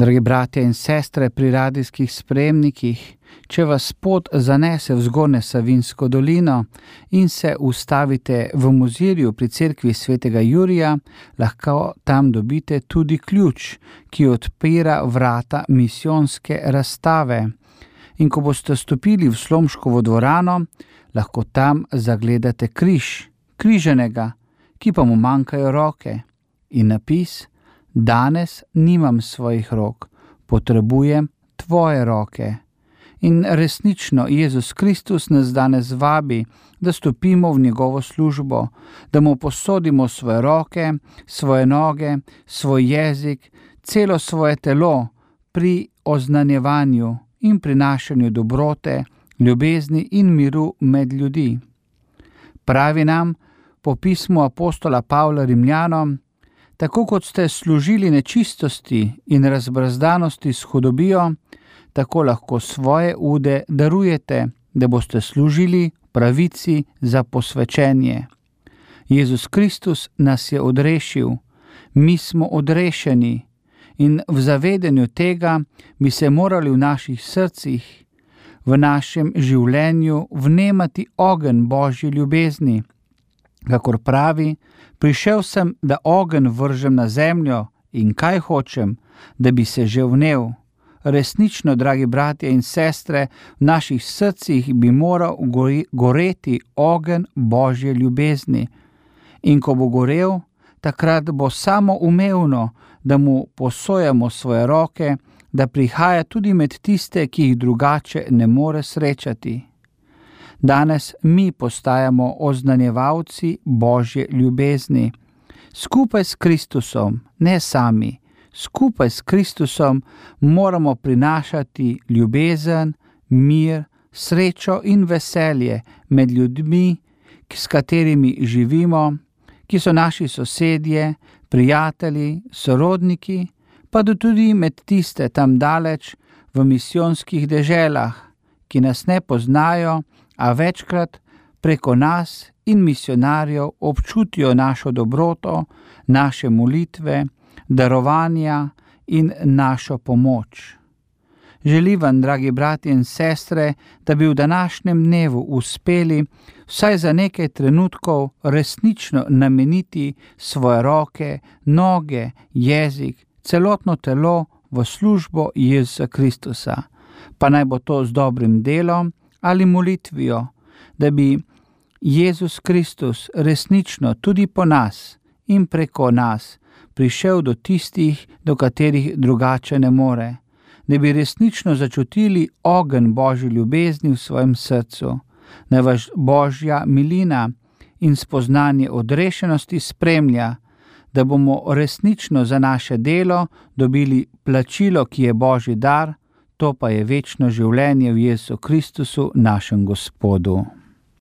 Dragi bratje in sestre pri radijskih sprejemnikih, če vas pot zanese v Zgornjo Savinjsko dolino in se ustavite v Mozirju pri cerkvi svetega Jurija, lahko tam dobite tudi ključ, ki odpira vrata misijonske razstave. In ko boste stopili v Slomškovo dvorano, lahko tam zagledate križanega, ki pa mu manjkajo roke, in napis: Danes nimam svojih rok, potrebujem tvoje roke. In resnično Jezus Kristus nas danes vabi, da stopimo v njegovo službo, da mu posodimo svoje roke, svoje noge, svoj jezik, celo svoje telo pri oznanjevanju in prinašanju dobrote, ljubezni in miru med ljudi. Pravi nam po pismu apostola Pavla Rimljanom: Tako kot ste služili nečistosti in razbrazdanosti s hudobijo, tako lahko svoje ude darujete, da boste služili pravici za posvečenje. Jezus Kristus nas je odrešil, mi smo odrešeni in v zavedanju tega bi se morali v naših srcih, v našem življenju vnemati ogenj Božje ljubezni. Kakor pravi: Prišel sem, da ogenj vržem na zemljo, in kaj hočem, da bi se že vnel. Resnično, dragi bratje in sestre, v naših srcih bi moral goreti ogenj Božje ljubezni. In ko bo gorel, takrat bo samoumevno, da mu posojamo svoje roke, da prihaja tudi med tiste, ki jih drugače ne more srečati. Danes mi postajamo oznanjevalci Božje ljubezni. Skupaj s Kristusom, ne sami, skupaj s Kristusom moramo prinašati ljubezen, mir, srečo in veselje med ljudmi, s katerimi živimo, ki so naši sosedje, prijatelji, sorodniki, pa tudi med tiste tam daleč v misijonskih deželah, ki nas ne poznajo, a večkrat preko nas in misionarjev občutijo našo dobroto, naše molitve, darovanja in našo pomoč. Želim vam, dragi bratje in sestre, da bi v današnjem dnevu uspeli vsaj za nekaj trenutkov resnično nameniti svoje roke, noge, jezik, celotno telo v službo Jezusa Kristusa. Pa naj bo to z dobrim delom ali molitvijo, da bi Jezus Kristus resnično tudi po nas in preko nas prišel do tistih, do katerih drugače ne more, da bi resnično začutili ogenj Božje ljubezni v svojem srcu, naj vas Božja milina in spoznanje odrešenosti spremlja, da bomo resnično za naše delo dobili plačilo, ki je Božji dar, to pa je večno življenje v Jezusu Kristusu, našem Gospodu.